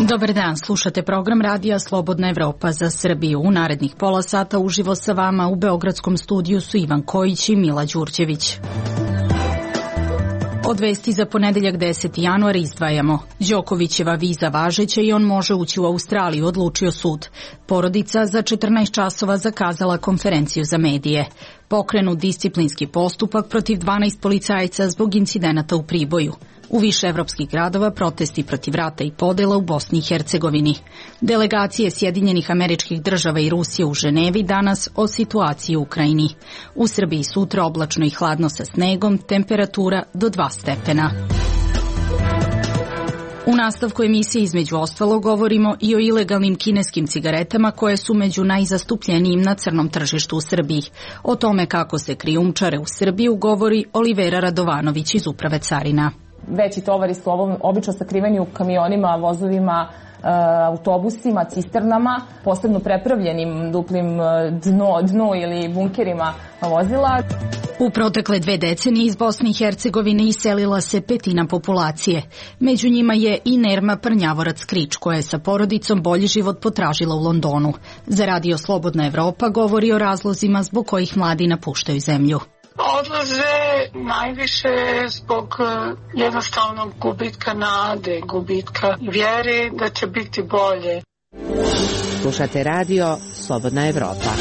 Dobar dan, slušate program Radija Slobodna Evropa za Srbiju. U narednih pola sata uživo sa vama u beogradskom studiju su Ivan Kojić i Mila Đurđević. Od vesti za ponedeljak 10. januar izdvajamo. Đokovićeva viza važeća i on može ući u Australiju, odlučio sud. Porodica za 14 časova zakazala konferenciju za medije. Pokrenut disciplinski postupak protiv 12 policajaca zbog incidenata u Priboju. U više evropskih gradova protesti protiv rata i podela u Bosni i Hercegovini. Delegacije Sjedinjenih Američkih Država i Rusije u Ženevi danas o situaciji u Ukrajini. U Srbiji sutra oblačno i hladno sa snegom, temperatura do 2 stepena. U nastavku emisije između ostalo govorimo i o ilegalnim kineskim cigaretama koje su među najzastupljenijim na crnom tržištu u Srbiji. O tome kako se krijumčare u Srbiju govori Olivera Radovanović iz Uprave carina. Veći tovari su obično sakriveni u kamionima, vozovima, autobusima, cisternama, posebno prepravljenim duplim dno ili bunkerima vozila. U protekle 2 decenije iz Bosne i Hercegovine iselila se 1/5 populacije. Među njima je i Nerma Prnjavorac-Krič, koja je sa porodicom bolji život potražila u Londonu. Za Radio Slobodna Evropa govori o razlozima zbog kojih mladi napuštaju zemlju. Odlaze najviše zbog jednostavnog gubitka nade, gubitka vjere da će biti bolje. Slušate Radio Slobodna Evropa.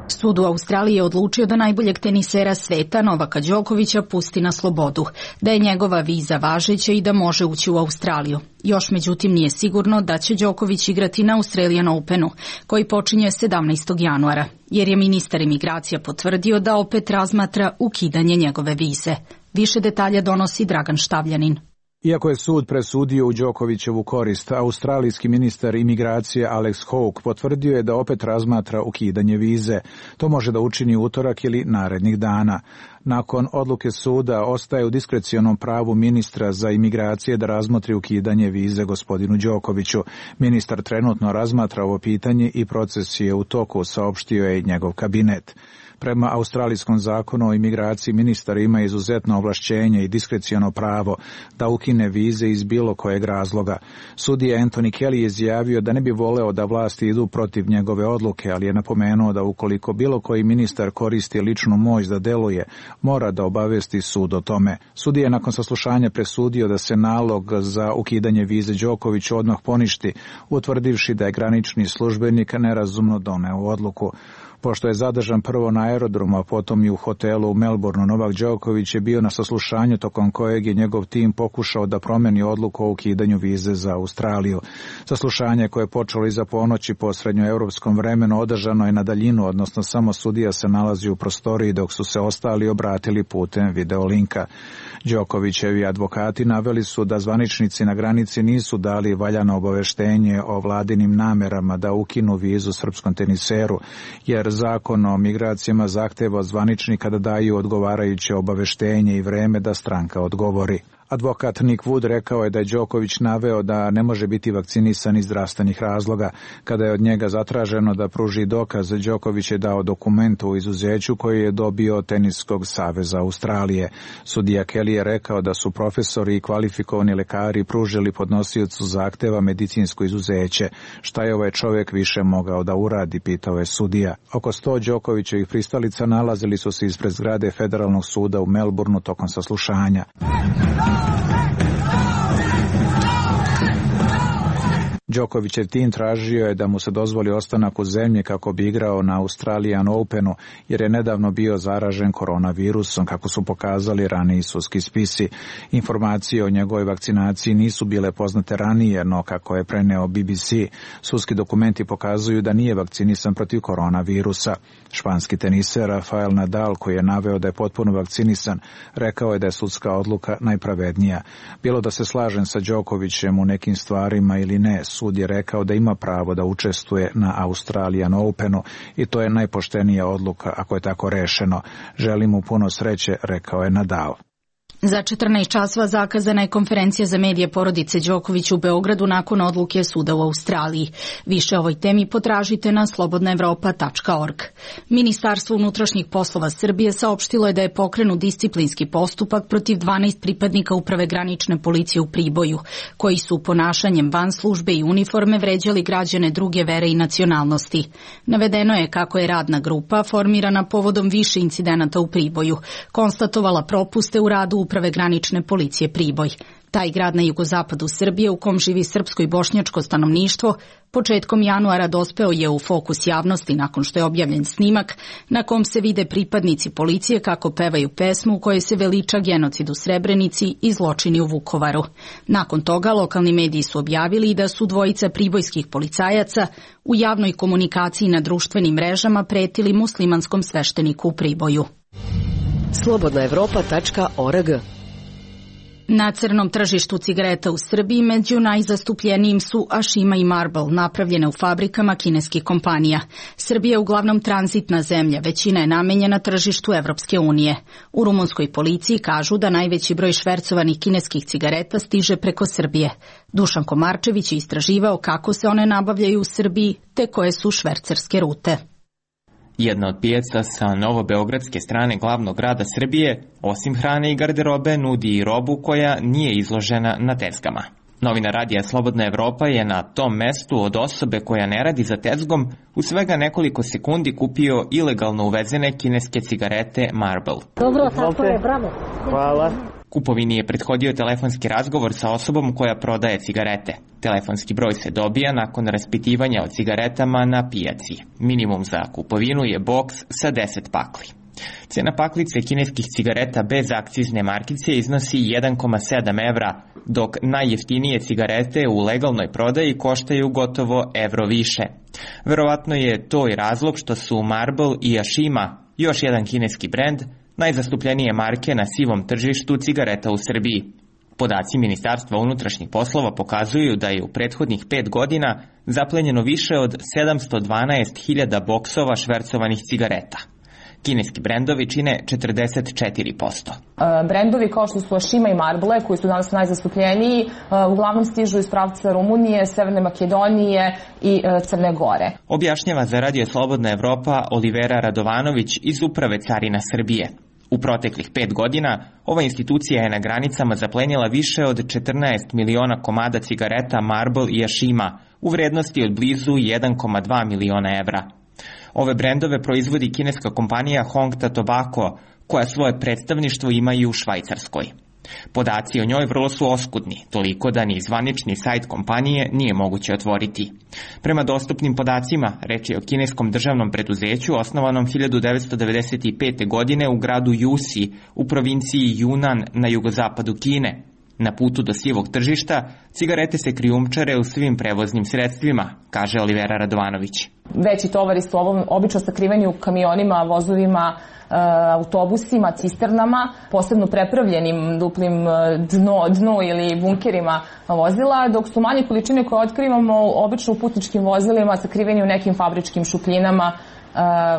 Sud u Australiji je odlučio da najboljeg tenisera sveta Novaka Đokovića pusti na slobodu, da je njegova viza važeća i da može ući u Australiju. Još međutim nije sigurno da će Đoković igrati na Australian Openu, koji počinje 17. januara, jer je ministar imigracija potvrdio da opet razmatra ukidanje njegove vize. Više detalja donosi Dragan Štavljanin. Iako je sud presudio u Đokovićevu korist, australijski ministar imigracije Alex Hawke potvrdio je da opet razmatra ukidanje vize. To može da učini utorak ili narednih dana. Nakon odluke suda ostaje u diskrecionom pravu ministra za imigracije da razmotri ukidanje vize gospodinu Đokoviću. Ministar trenutno razmatra ovo pitanje i proces je u toku, saopštio je njegov kabinet. Prema australijskom zakonu o imigraciji ministar ima izuzetno ovlašćenje i diskreciono pravo da ukine vize iz bilo kojeg razloga. Sudija Anthony Kelly je izjavio da ne bi voleo da vlasti idu protiv njegove odluke, ali je napomenuo da ukoliko bilo koji ministar koristi ličnu moć da deluje, mora da obavesti sud o tome. Sudija je nakon saslušanja presudio da se nalog za ukidanje vize Đokoviću odmah poništi, utvrdivši da je granični službenik nerazumno doneo odluku. Pošto je zadržan prvo na aerodromu, a potom i u hotelu u Melbourneu, Novak Đoković je bio na saslušanju tokom kojeg je njegov tim pokušao da promeni odluku o ukidanju vize za Australiju. Saslušanje koje je počelo iza ponoći po srednjoevropskom vremenu održano je na daljinu, odnosno samo sudija se nalazi u prostoriji dok su se ostali obratili putem videolinka. Đokovićevi advokati naveli su da zvaničnici na granici nisu dali valjano obaveštenje o vladinim namerama da ukinu vizu srpskom teniseru, jer zakon o migracijama zahteva od zvaničnika da daju odgovarajuće obaveštenje i vreme da stranka odgovori. Advokat Nick Wood rekao je da je Đoković naveo da ne može biti vakcinisan iz zdravstvenih razloga. Kada je od njega zatraženo da pruži dokaz, Đoković je dao dokument o izuzeću koji je dobio od Teniskog saveza Australije. Sudija Kelly je rekao da su profesori i kvalifikovani lekari pružili podnosiocu zahteva medicinsko izuzeće. Šta je ovaj čovjek više mogao da uradi, pitao je sudija. Oko 100 Đokovićevih pristalica nalazili su se ispred zgrade Federalnog suda u Melbourneu tokom saslušanja. Đokovićev tim tražio je da mu se dozvoli ostanak u zemlji kako bi igrao na Australian Openu, jer je nedavno bio zaražen koronavirusom, kako su pokazali raniji sudski spisi. Informacije o njegovoj vakcinaciji nisu bile poznate ranije, no kako je preneo BBC, sudski dokumenti pokazuju da nije vakcinisan protiv koronavirusa. Španski teniser Rafael Nadal, koji je naveo da je potpuno vakcinisan, rekao je da je sudska odluka najpravednija. Bilo da se slažem sa Đokovićem u nekim stvarima ili ne, sud je rekao da ima pravo da učestvuje na Australian Openu i to je najpoštenija odluka ako je tako rešeno. Želim mu puno sreće, rekao je Nadal. Za 14 časova zakazana je konferencija za medije porodice Đoković u Beogradu nakon odluke suda u Australiji. Više o ovoj temi potražite na slobodnaevropa.org. Ministarstvo unutrašnjih poslova Srbije saopštilo je da je pokrenut disciplinski postupak protiv 12 pripadnika Uprave granične policije u Priboju, koji su ponašanjem van službe i uniforme vređali građane druge vere i nacionalnosti. Navedeno je kako je radna grupa, formirana povodom više incidenata u Priboju, konstatovala propuste u radu Uprave granične policije Priboj. Taj grad na jugozapadu Srbije u kom živi srpsko i bošnjačko stanovništvo početkom januara dospeo je u fokus javnosti nakon što je objavljen snimak na kom se vide pripadnici policije kako pevaju pesmu u kojoj se veliča genocid u Srebrenici i zločini u Vukovaru. Nakon toga lokalni mediji su objavili da su dvojica pribojskih policajaca u javnoj komunikaciji na društvenim mrežama pretili muslimanskom svešteniku u Priboju. slobodnaevropa.org. Na crnom tržištu cigareta u Srbiji među najzastupljenijim su Ashima i Marlboro, napravljene u fabrikama kineskih kompanija. Srbija je uglavnom tranzitna zemlja, većina je namenjena tržištu Evropske unije. U rumunskoj policiji kažu da najveći broj švercovanih kineskih cigareta stiže preko Srbije. Dušan Komarčević je istraživao kako se one nabavljaju u Srbiji te koje su švercerske rute. Jedna od pijaca sa novobeogradske strane glavnog grada Srbije, osim hrane i garderobe, nudi i robu koja nije izložena na tezgama. Novinar radija Slobodna Evropa je na tom mestu od osobe koja ne radi za tezgom u svega nekoliko sekundi kupio ilegalno uvezene kineske cigarete Marlboro. Dobro, tako je, bravo. Hvala. Kupovini je prethodio telefonski razgovor sa osobom koja prodaje cigarete. Telefonski broj se dobija nakon raspitivanja o cigaretama na pijaci. Minimum za kupovinu je boks sa 10 pakli. Cena paklice kineskih cigareta bez akcizne markice iznosi 1,7 evra, dok najjeftinije cigarete u legalnoj prodaji koštaju gotovo evro više. Verovatno je to i razlog što su Marlboro i Ashima, još jedan kineski brend, najzastupljenije marke na sivom tržištu cigareta u Srbiji. Podaci Ministarstva unutrašnjih poslova pokazuju da je u prethodnih 5 godina zaplenjeno više od 712.000 boksova švercovanih cigareta. Kineski brendovi čine 44%. Brendovi kao što su Ashima i Marlboro, koji su danas najzastupljeniji, uglavnom stižu iz pravca Rumunije, Severne Makedonije i Crne Gore. Objašnjava za Radio Slobodna Evropa Olivera Radovanović iz Uprave carina Srbije. U proteklih 5 godina ova institucija je na granicama zaplenila više od 14 miliona komada cigareta Marlboro i Ashima u vrednosti od blizu 1,2 miliona evra. Ove brendove proizvodi kineska kompanija Hongta Tobacco, koja svoje predstavništvo ima i u Švajcarskoj. Podaci o njoj vrlo su oskudni, toliko da ni zvanični sajt kompanije nije moguće otvoriti. Prema dostupnim podacima, reč je o kineskom državnom preduzeću osnovanom 1995. godine u gradu Jusi u provinciji Junan na jugozapadu Kine. Na putu do sivog tržišta, cigarete se krijumčare u svim prevoznim sredstvima, kaže Olivera Radovanović. Veći tovari su obično sakriveni u kamionima, vozovima, autobusima, cisternama, posebno prepravljenim duplim dno ili bunkerima vozila, dok su manje količine koje otkrivamo obično u putničkim vozilima sakriveni u nekim fabričkim šupljinama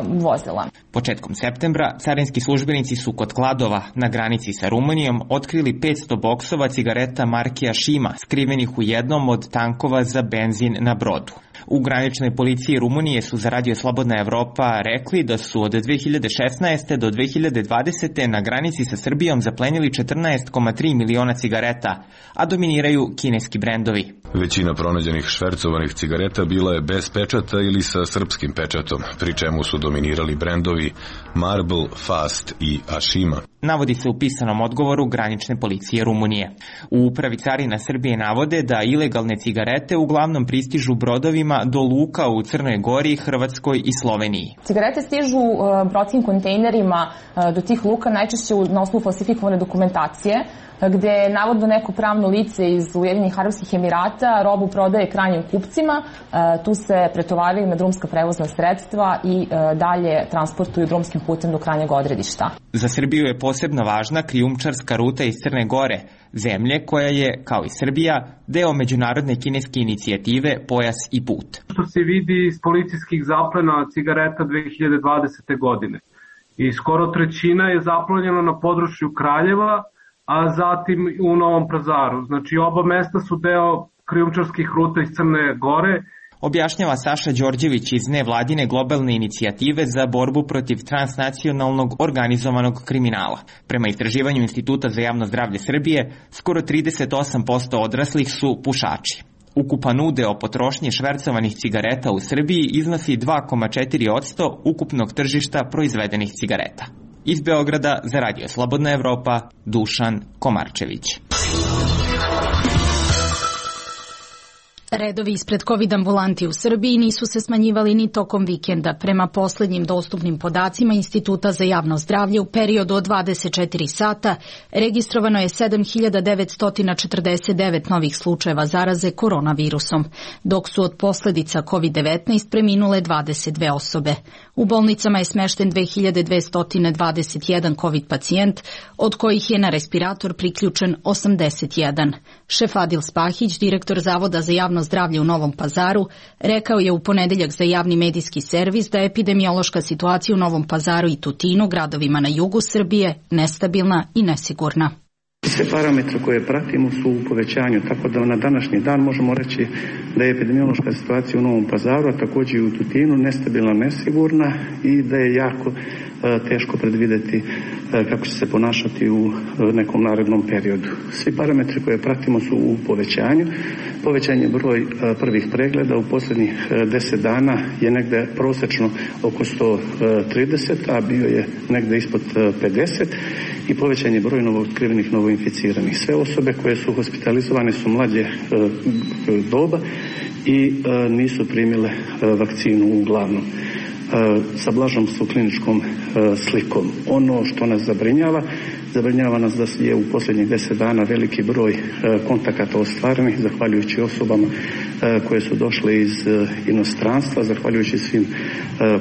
vozila. Početkom septembra carinski službenici su kod Kladova na granici sa Rumunijom otkrili 500 boksova cigareta marke Ashima skrivenih u jednom od tankova za benzin na brodu. U graničnoj policiji Rumunije su za Radio Slobodna Evropa rekli da su od 2016. do 2020. na granici sa Srbijom zaplenili 14,3 miliona cigareta, a dominiraju kineski brendovi. Većina pronađenih švercovanih cigareta bila je bez pečata ili sa srpskim pečatom, pri čemu su dominirali brendovi Marlboro, Fast i Ashima. Navodi se u pisanom odgovoru granične policije Rumunije. U Upravi carina Srbije navode da ilegalne cigarete uglavnom pristižu brodovima do luka u Crnoj Gori, Hrvatskoj i Sloveniji. Cigarete stižu brodskim kontejnerima do tih luka najčešće na osnovu falsifikovane dokumentacije, gde navodno neko pravno lice iz Ujedinjenih Arapskih Emirata robu prodaje krajnjim kupcima, tu se pretovaraju na drumska prevozna sredstva i dalje transportuju drumskim putem do krajnjeg odredišta. Za Srbiju je posebno važna krijumčarska ruta iz Crne Gore, zemlje koja je, kao i Srbija, deo međunarodne kineske inicijative Pojas i put. Što se vidi iz policijskih zaplena cigareta 2020. godine. I skoro trećina je zaplenjena na području Kraljeva, a zatim u Novom Pazaru. Znači oba mesta su deo krijumčarskih ruta iz Crne Gore. Objašnjava Saša Đorđević iz nevladine globalne inicijative za borbu protiv transnacionalnog organizovanog kriminala. Prema istraživanju Instituta za javno zdravlje Srbije, skoro 38% odraslih su pušači. Ukupan udeo potrošnje švercovanih cigareta u Srbiji iznosi 2,4% ukupnog tržišta proizvedenih cigareta. Iz Beograda za Radio Slobodna Evropa, Dušan Komarčević. Redovi ispred COVID ambulanti u Srbiji nisu se smanjivali ni tokom vikenda. Prema poslednjim dostupnim podacima Instituta za javno zdravlje u periodu od 24 sata registrovano je 7.949 novih slučajeva zaraze koronavirusom, dok su od posledica COVID-19 preminule 22 osobe. U bolnicama je smešten 2221 COVID pacijent, od kojih je na respirator priključen 81. Šef Adil Spahić, direktor Zavoda za javno zdravlje u Novom Pazaru, rekao je u ponedeljak za javni medijski servis da je epidemiološka situacija u Novom Pazaru i Tutinu, gradovima na jugu Srbije, nestabilna i nesigurna. Sve parametre koje pratimo su u povećanju, tako da na današnji dan možemo reći da je epidemiološka situacija u Novom Pazaru, a također i u Tutinu, nestabilna, nesigurna i da je jako teško predvideti kako će se ponašati u nekom narednom periodu. Svi parametri koje pratimo su u povećanju. Povećan je broj prvih pregleda u posljednjih 10 dana je negde prosečno oko 130, a bio je negde ispod 50 i povećan je broj novootkrivenih, novoinficiranih. Sve osobe koje su hospitalizovane su mlađe doba i nisu primile vakcinu uglavnom sa blažom su kliničkom slikom. Ono što nas zabrinjava nas da je u posljednjih 10 dana veliki broj kontakata ostvarenih, zahvaljujući osobama koje su došle iz inostranstva, zahvaljujući svim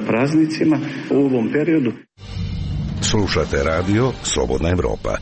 praznicima u ovom periodu. Slušate radio Slobodna Evropa.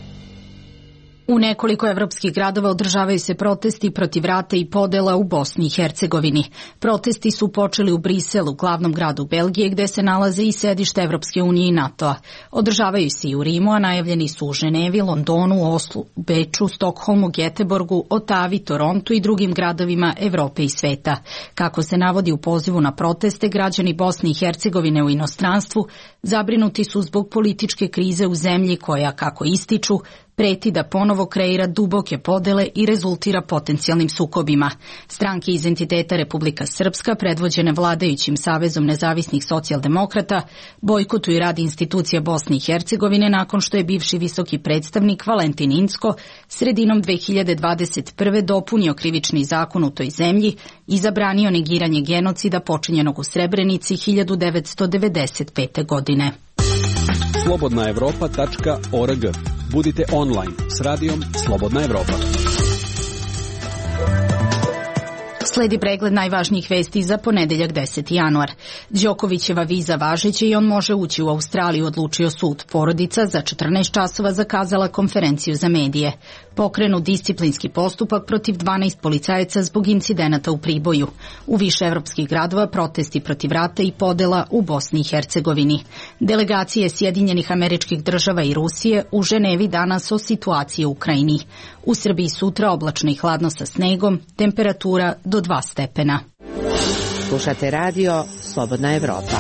U nekoliko evropskih gradova održavaju se protesti protiv rata i podela u Bosni i Hercegovini. Protesti su počeli u Briselu, glavnom gradu Belgije, gde se nalaze i sedište Evropske unije i NATO-a. Održavaju se i u Rimu, a najavljeni su u Ženevi, Londonu, Oslu, Beču, Stokholmu, Geteborgu, Otavi, Torontu i drugim gradovima Evrope i sveta. Kako se navodi u pozivu na proteste, građani Bosne i Hercegovine u inostranstvu zabrinuti su zbog političke krize u zemlji koja, kako ističu, preti da ponovo kreira duboke podele i rezultira potencijalnim sukobima. Stranke iz entiteta Republika Srpska, predvođene vladajućim Savezom nezavisnih socijaldemokrata, bojkotuju rad institucija Bosne i Hercegovine nakon što je bivši visoki predstavnik Valentin Incko sredinom 2021. dopunio krivični zakon u toj zemlji i zabranio negiranje genocida počinjenog u Srebrenici 1995. godine. slobodnaevropa.org. Budite online s radijom Slobodna Evropa. Sledi pregled najvažnijih vesti za ponedeljak 10. januar. Đokovićeva viza važeća i on može ući u Australiju, odlučio sud. Porodica za 14 časova zakazala konferenciju za medije. Pokrenut disciplinski postupak protiv 12 policajaca zbog incidenata u Priboju. U više evropskih gradova protesti protiv rata i podela u Bosni i Hercegovini. Delegacije Sjedinjenih Američkih Država i Rusije u Ženevi danas o situaciji u Ukrajini. U Srbiji sutra oblačno i hladno sa snegom, temperatura do 2 stepena. Slušate radio Slobodna Evropa.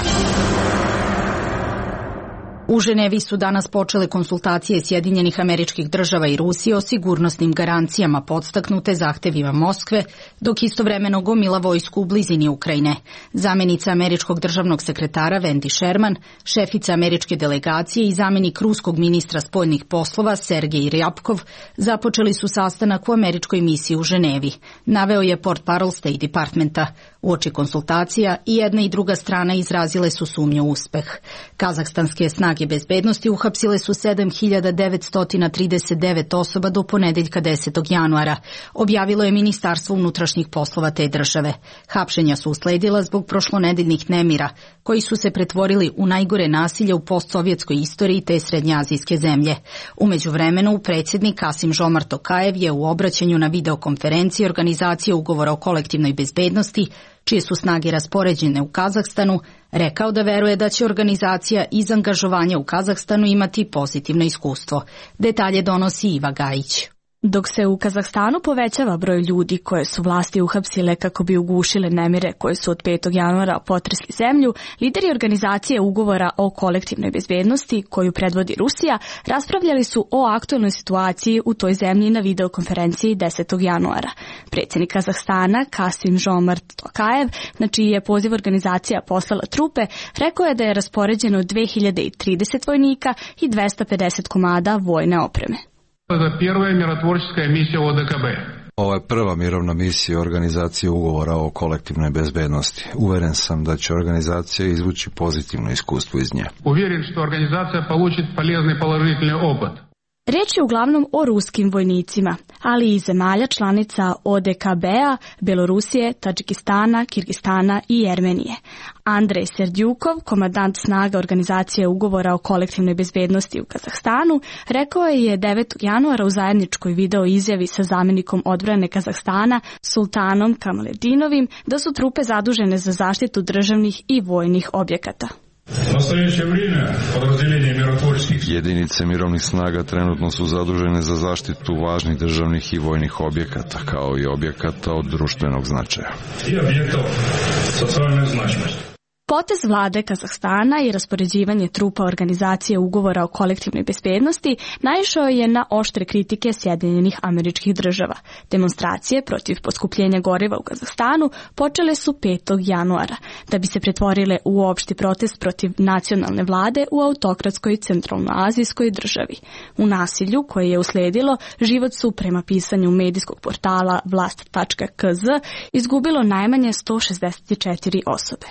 U Ženevi su danas počele konsultacije Sjedinjenih Američkih Država i Rusije o sigurnosnim garancijama podstaknute zahtevima Moskve, dok istovremeno gomila vojsku u blizini Ukrajine. Zamenica američkog državnog sekretara Wendy Sherman, šefica američke delegacije i zamenik ruskog ministra spoljnih poslova Sergej Ryabkov započeli su sastanak u američkoj misiji u Ženevi, naveo je portparol State Departmenta. Uoči konsultacija i jedna i druga strana izrazile su sumnju u uspeh. Kazahstanske snage bezbednosti uhapsile su 7.939 osoba do ponedeljka 10. januara, objavilo je Ministarstvo unutrašnjih poslova te države. Hapšenja su usledila zbog prošlonedeljnih nemira, koji su se pretvorili u najgore nasilje u postsovjetskoj istoriji te srednjoazijske zemlje. U međuvremenu, predsjednik Kasim Žomart Tokajev je u obraćanju na videokonferenciji Organizacije ugovora o kolektivnoj bezbednosti čije su snage raspoređene u Kazahstanu, rekao da veruje da će organizacija iz angažovanja u Kazahstanu imati pozitivno iskustvo. Detalje donosi Iva Gajić. Dok se u Kazahstanu povećava broj ljudi koje su vlasti uhapsile kako bi ugušile nemire koje su od 5. januara potresli zemlju, lideri organizacije ugovora o kolektivnoj bezbednosti, koju predvodi Rusija, raspravljali su o aktualnoj situaciji u toj zemlji na videokonferenciji 10. januara. Predsjednik Kazahstana, Kasim-Žomart Tokajev, na čiji je poziv organizacija poslala trupe, rekao je da je raspoređeno 2030 vojnika i 250 komada vojne opreme. Ovo je prva mirovna misija organizacije ugovora o kolektivnoj bezbednosti. Uveren sam da će organizacija izvući pozitivno iskustvo iz nje. Uvjeren što organizacija получит полезный положительный опыт. Riječ je uglavnom o ruskim vojnicima, ali i zemalja članica ODKB-a, Belorusije, Tadžikistana, Kirgistana i Jermenije. Andrej Serdjukov, komandant snaga organizacije ugovora o kolektivnoj bezbednosti u Kazahstanu, rekao je 9. januara u zajedničkoj video izjavi sa zamjenikom odbrane Kazahstana Sultanom Kamaledinovim da su trupe zadužene za zaštitu državnih i vojnih objekata. Jedinice mirovnih snaga trenutno su zadužene za zaštitu važnih državnih i vojnih objekata, kao i objekata od društvenog značaja. Potez vlade Kazahstana i raspoređivanje trupa organizacije ugovora o kolektivnoj bezbednosti naišao je na oštre kritike Sjedinjenih Američkih Država. Demonstracije protiv poskupljenja goriva u Kazahstanu počele su 5. januara, da bi se pretvorile u opšti protest protiv nacionalne vlade u autokratskoj centralnoazijskoj državi. U nasilju koje je usledilo, život su, prema pisanju medijskog portala vlast.kz, izgubilo najmanje 164 osobe.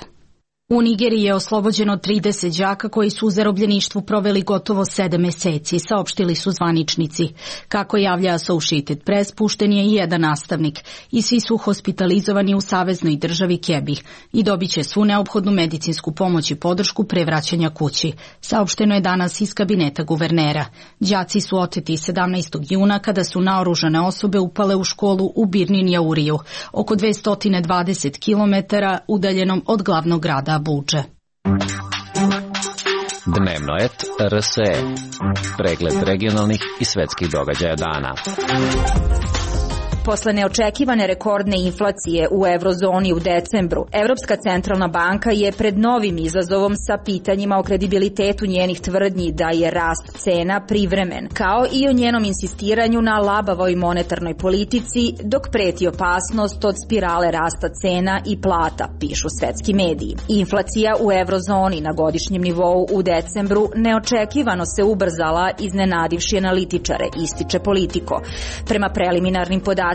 U Nigeriji je oslobođeno 30 đaka koji su u zarobljeništvu proveli gotovo 7 meseci, saopštili su zvaničnici. Kako javlja Associated Press, pušten je i jedan nastavnik i svi su hospitalizovani u saveznoj državi Kebi i dobit će svu neophodnu medicinsku pomoć i podršku pre vraćanja kući. Saopšteno je danas iz kabineta guvernera. Đaci su oteti 17. juna kada su naoružane osobe upale u školu u Birnin Jauriju, oko 220 km udaljenom od glavnog grada Budže. Dnevno et RSE. Pregled regionalnih i svetskih događaja dana. Posle neočekivane rekordne inflacije u eurozoni u decembru, Evropska centralna banka je pred novim izazovom sa pitanjima o kredibilitetu njenih tvrdnji da je rast cena privremen, kao i o njenom insistiranju na labavoj monetarnoj politici, dok preti opasnost od spirale rasta cena i plata, pišu svetski mediji. Inflacija u eurozoni na godišnjem nivou u decembru neočekivano se ubrzala, iznenadivši analitičare, ističe Politico. Prema preliminarnim podacima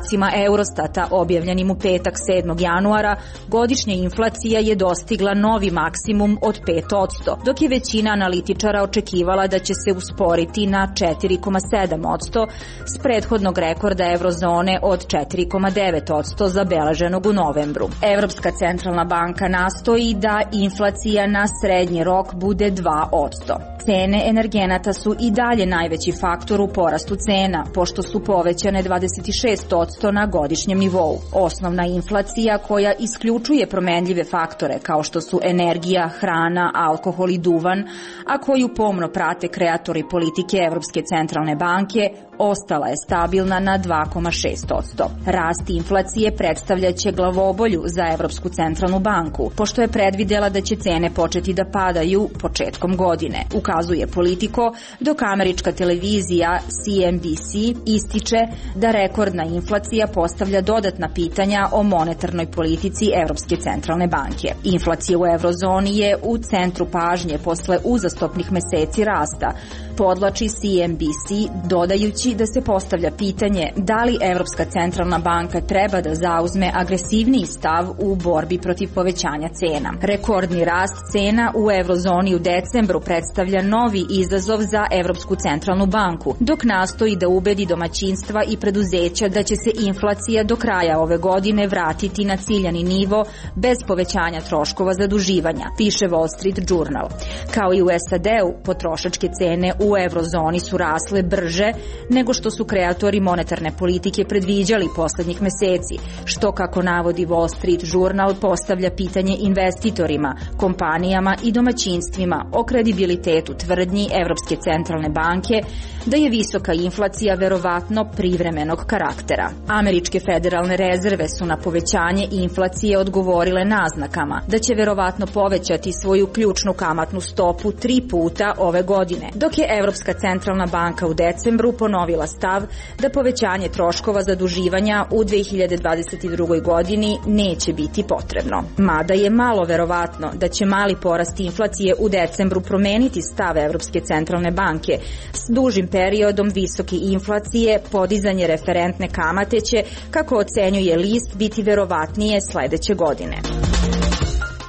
Eurostata objavljenim u petak 7. januara, godišnja inflacija je dostigla novi maksimum od 5%, dok je većina analitičara očekivala da će se usporiti na 4,7% s prethodnog rekorda eurozone od 4,9% zabeleženog u novembru. Evropska centralna banka nastoji da inflacija na srednji rok bude 2%. Cene energenata su i dalje najveći faktor u porastu cena, pošto su povećane 26% na godišnjem nivou. Osnovna inflacija, koja isključuje promenljive faktore kao što su energija, hrana, alkohol i duvan, a koju pomno prate kreatori politike Evropske centralne banke, ostala je stabilna na 2,6%. Rast inflacije predstavljaće glavobolju za Evropsku centralnu banku, pošto je predvidela da će cene početi da padaju početkom godine, ukazuje Politico, dok američka televizija CNBC ističe da rekordna inflacija postavlja dodatna pitanja o monetarnoj politici Evropske centralne banke. Inflacija u eurozoni je u centru pažnje posle uzastopnih meseci rasta, podvlači CNBC, dodajući da se postavlja pitanje da li Evropska centralna banka treba da zauzme agresivniji stav u borbi protiv povećanja cena. Rekordni rast cena u eurozoni u decembru predstavlja novi izazov za Evropsku centralnu banku, dok nastoji da ubedi domaćinstva i preduzeća da će se inflacija do kraja ove godine vratiti na ciljani nivo bez povećanja troškova zaduživanja, piše Wall Street Journal. Kao i u SAD-u, potrošačke cene u eurozoni su rasle brže nego što su kreatori monetarne politike predviđali poslednjih meseci, što, kako navodi Wall Street Journal, postavlja pitanje investitorima, kompanijama i domaćinstvima o kredibilitetu tvrdnji Evropske centralne banke da je visoka inflacija verovatno privremenog karaktera. Američke federalne rezerve su na povećanje inflacije odgovorile naznakama da će verovatno povećati svoju ključnu kamatnu stopu 3 puta ove godine, dok je Evropska centralna banka u decembru ponovila stav da povećanje troškova zaduživanja u 2022. godini neće biti potrebno. Mada je malo verovatno da će mali porast inflacije u decembru promeniti stav Evropske centralne banke. S dužim periodom visoke inflacije, podizanje referentne kamate će, kako ocenjuje list, biti verovatnije sledeće godine.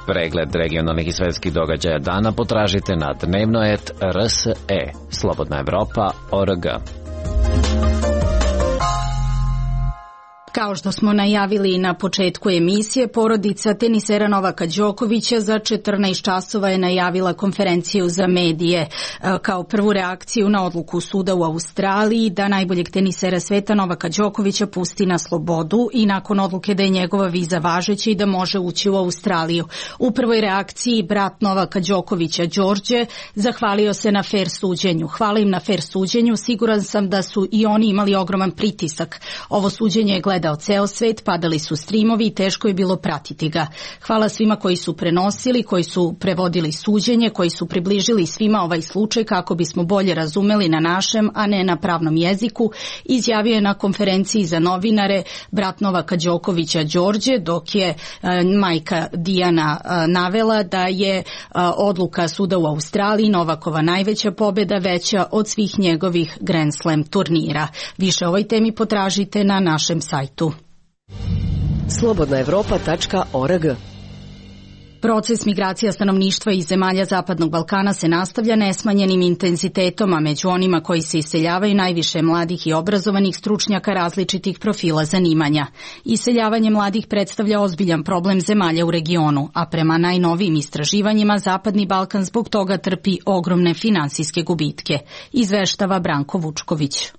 Pregled regionalnih i svetskih događaja dana potražite na dnevnoet.rse, slobodnaevropa.org. Kao što smo najavili na početku emisije, porodica tenisera Novaka Đokovića za 14 časova je najavila konferenciju za medije kao prvu reakciju na odluku suda u Australiji da najboljeg tenisera sveta Novaka Đokovića pusti na slobodu i nakon odluke da je njegova viza važeća i da može ući u Australiju. U prvoj reakciji brat Novaka Đokovića, Đorđe, zahvalio se na fer suđenju. Hvala im na fer suđenju, siguran sam da su i oni imali ogroman pritisak. Ovo suđenje je gledao ceo svet, padali su streamovi i teško je bilo pratiti ga. Hvala svima koji su prenosili, koji su prevodili suđenje, koji su približili svima ovaj slučaj kako bismo bolje razumeli na našem, a ne na pravnom jeziku, izjavio je na konferenciji za novinare brat Novaka Đokovića Đorđe, dok je majka Dijana navela da je odluka suda u Australiji Novakova najveća pobeda, veća od svih njegovih Grand Slam turnira. Više o ovoj temi potražite na našem sajtu. slobodnaevropa.org. Proces migracija stanovništva iz zemalja Zapadnog Balkana se nastavlja nesmanjenim intenzitetom, a među onima koji se iseljavaju najviše mladih i obrazovanih stručnjaka različitih profila zanimanja. Iseljavanje mladih predstavlja ozbiljan problem zemalja u regionu, a prema najnovijim istraživanjima Zapadni Balkan zbog toga trpi ogromne finansijske gubitke, izveštava Branko Vučković.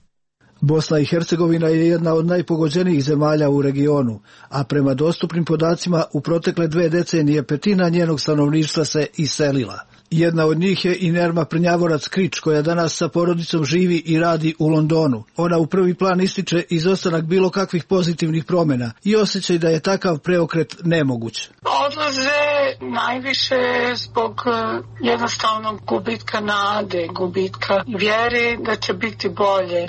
Bosna i Hercegovina je jedna od najpogođenijih zemalja u regionu, a prema dostupnim podacima u protekle 2 decenije petina njenog stanovništva se iselila. Jedna od njih je i Nerma Prnjavorac Krič, koja danas sa porodicom živi i radi u Londonu. Ona u prvi plan ističe izostanak bilo kakvih pozitivnih promjena i osjećaj da je takav preokret nemoguć. Odlaze najviše zbog jednostavnog gubitka nade, gubitka vjere da će biti bolje.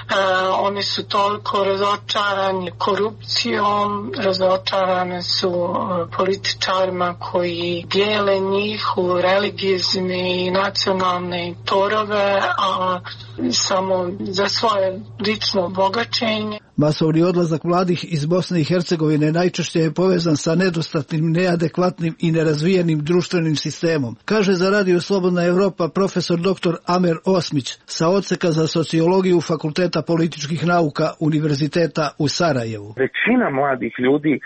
Oni su toliko razočarani korupcijom, razočarane su političarima koji dijele njih u religijski i nacionalne torove, a samo za svoje lično bogaćenje. Masovni odlazak mladih iz Bosne i Hercegovine najčešće je povezan sa nedostatnim, neadekvatnim i nerazvijenim društvenim sistemom, kaže za Radio Slobodna Evropa profesor dr. Amer Osmić sa odseka za sociologiju Fakulteta političkih nauka Univerziteta u Sarajevu. Većina mladih ljudi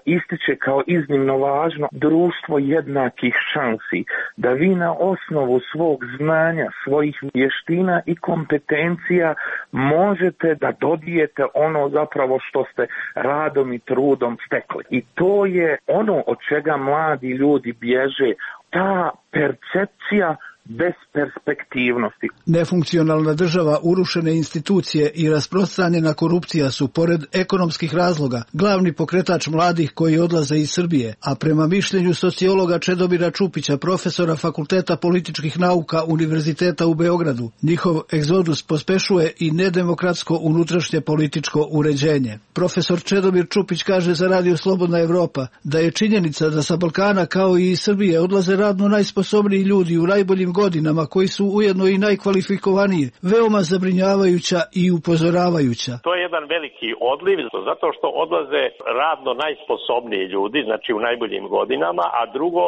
ističe kao iznimno važno društvo jednakih šansi, da vi na osnovu svog znanja, svojih vještina i kompetencija možete da dobijete ono zapravo što ste radom i trudom stekli. I to je ono od čega mladi ljudi bježe, ta percepcija besperspektivnosti. Nefunkcionalna država, urušene institucije i rasprostranjena korupcija su, pored ekonomskih razloga, glavni pokretač mladih koji odlaze iz Srbije, a prema mišljenju sociologa Čedomira Čupića, profesora Fakulteta političkih nauka Univerziteta u Beogradu, njihov egzodus pospešuje i nedemokratsko unutrašnje političko uređenje. Profesor Čedomir Čupić kaže za Radio Slobodna Evropa da je činjenica da sa Balkana kao i iz Srbije odlaze radno najsposobniji ljudi u najboljim godinama, koji su ujedno i najkvalifikovaniji, veoma zabrinjavajuća i upozoravajuća. To je jedan veliki odliv, zato što odlaze radno najsposobniji ljudi, znači u najboljim godinama, a drugo,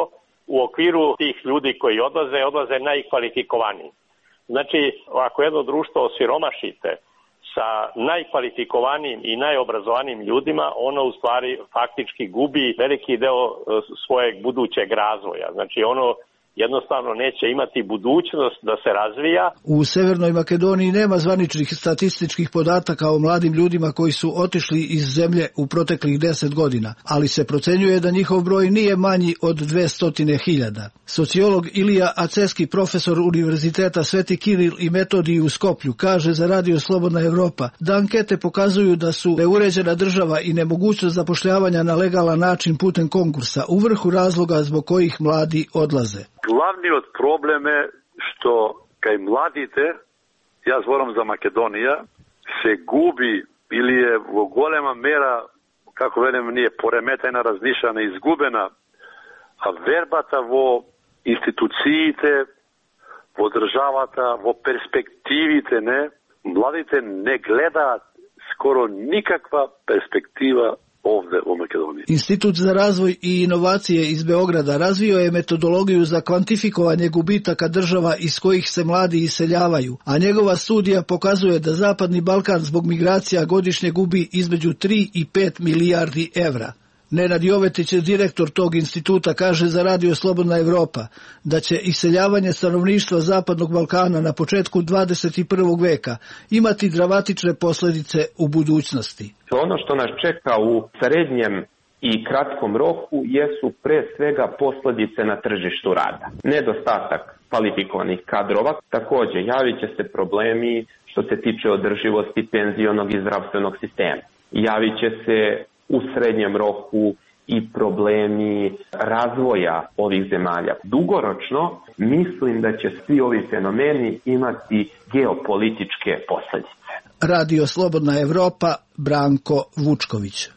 u okviru tih ljudi koji odlaze najkvalifikovaniji. Znači, ako jedno društvo osiromašite sa najkvalifikovanijim i najobrazovanijim ljudima, ono u stvari faktički gubi veliki deo svojeg budućeg razvoja. Znači, ono jednostavno neće imati budućnost da se razvija. U Severnoj Makedoniji nema zvaničnih statističkih podataka o mladim ljudima koji su otišli iz zemlje u proteklih 10 godina, ali se procenjuje da njihov broj nije manji od 200.000. Sociolog Ilija Aceski, profesor Univerziteta Sveti Kiril i Metodij u Skoplju, kaže za Radio Slobodna Evropa da ankete pokazuju da su neuređena država i nemogućnost zapošljavanja na legalan način putem konkursa u vrhu razloga zbog kojih mladi odlaze. Glavni od probleme što kaj mladite, ja zvoram za Makedonija, se gubi ili je golema mera, kako velim, nije poremetena, raznišana, izgubena, a verbata vo institucijite, vo državata, vo perspektivite, ne, mladite ne gleda skoro nikakva perspektiva ovde u Makedoniji. Institut za razvoj i inovacije iz Beograda razvio je metodologiju za kvantifikovanje gubitaka država iz kojih se mladi iseljavaju, a njegova studija pokazuje da Zapadni Balkan zbog migracija godišnje gubi između 3 i 5 milijardi evra. Nenad Jovetić, direktor tog instituta, kaže za Radio Slobodna Evropa da će iseljavanje stanovništva Zapadnog Balkana na početku 21. veka imati dramatične posljedice u budućnosti. Ono što nas čeka u srednjem i kratkom roku jesu pre svega posljedice na tržištu rada. Nedostatak kvalifikovanih kadrova, također javit će se problemi što se tiče održivosti penzionog i zdravstvenog sistema. Javit će se u srednjem roku i problemi razvoja ovih zemalja. Dugoročno mislim da će svi ovi fenomeni imati geopolitičke posljedice. Radio Slobodna Evropa, Branko Vučković.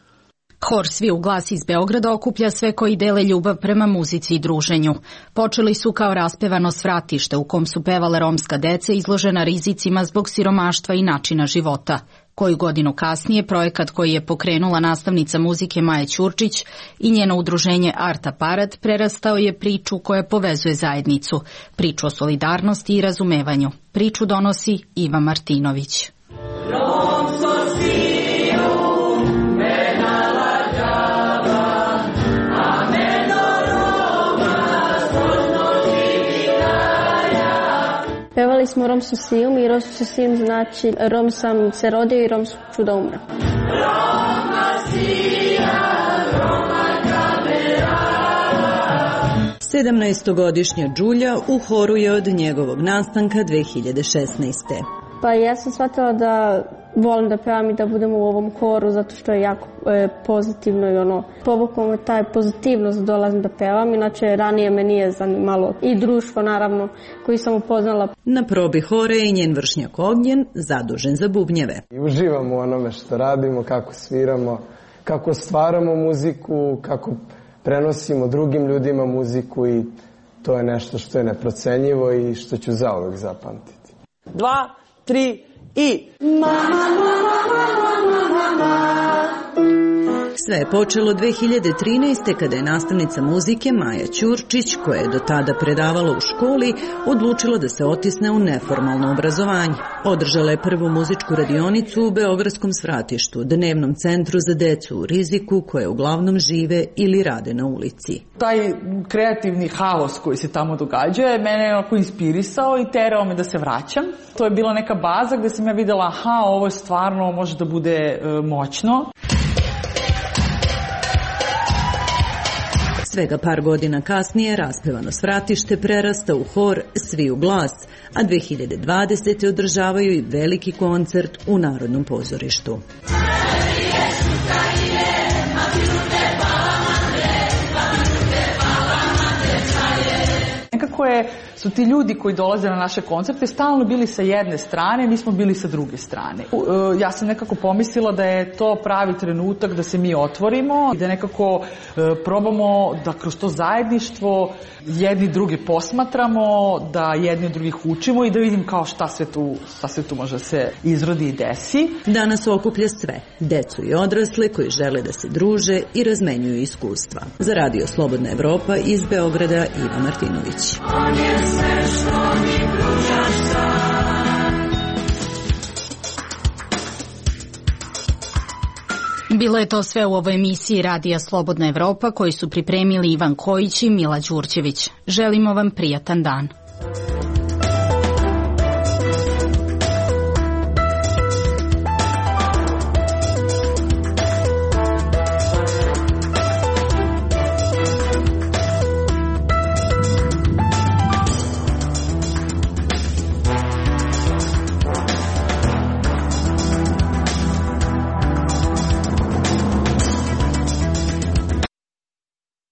Hor Svi u glas iz Beograda okuplja sve koji dele ljubav prema muzici i druženju. Počeli su kao raspevano svratište u kom su pevale romska deca izložena rizicima zbog siromaštva i načina života. Koju godinu kasnije projekat koji je pokrenula nastavnica muzike Maja Ćurčić i njeno udruženje Art Aparat prerastao je priču koja povezuje zajednicu, priču o solidarnosti i razumevanju. Priču donosi Iva Martinović. Pevali smo Romsu Sijum i Romsu Sijum znači Rom sam se rodio i Rom ću da umrem. 17-godišnja Đulja u horu je od njegovog nastanka 2016. Pa ja sam shvatila da volim da pevam i da budem u ovom horu zato što je jako pozitivno i povuklo me taj pozitivnost da dolazim da pevam, inače ranije me nije zanimalo i društvo naravno koji sam upoznala. Na probi hore je i njen vršnjak Ognjen zadužen za bubnjeve. I uživamo u onome što radimo, kako sviramo, kako stvaramo muziku, kako prenosimo drugim ljudima muziku i to je nešto što je neprocenjivo i što ću zauvek zapamtiti. 2, 3 i... Sve je počelo 2013. kada je nastavnica muzike Maja Ćurčić, koja je do tada predavala u školi, odlučila da se otisne u neformalno obrazovanje. Održala je prvu muzičku radionicu u Beogradskom svratištu, dnevnom centru za decu u riziku, koje uglavnom žive ili rade na ulici. Taj kreativni haos koji se tamo događa je mene onako inspirisao i terao me da se vraćam. To je bila neka baza gde sam ja videla, aha, ovo je stvarno može da bude moćno. Svega par godina kasnije raspevano svratište prerasta u hor Svi u glas, a 2020. održavaju i veliki koncert u Narodnom pozorištu. Nekako su ti ljudi koji dolaze na naše koncerte stalno bili sa jedne strane, mi smo bili sa druge strane. Ja sam nekako pomislila da je to pravi trenutak da se mi otvorimo i da nekako probamo da kroz to zajedništvo jedni drugi posmatramo, da jedni od drugih učimo i da vidim kao šta sve tu može se izrodi i desi. Danas okuplja sve, decu i odrasle koji žele da se druže i razmenjuju iskustva. Za Radio Slobodna Evropa iz Beograda Iva Martinović. Bilo je to sve u ovoj emisiji Radija Slobodna Evropa koju su pripremili Ivan Kojić i Mila Đurđević. Želimo vam prijatan dan.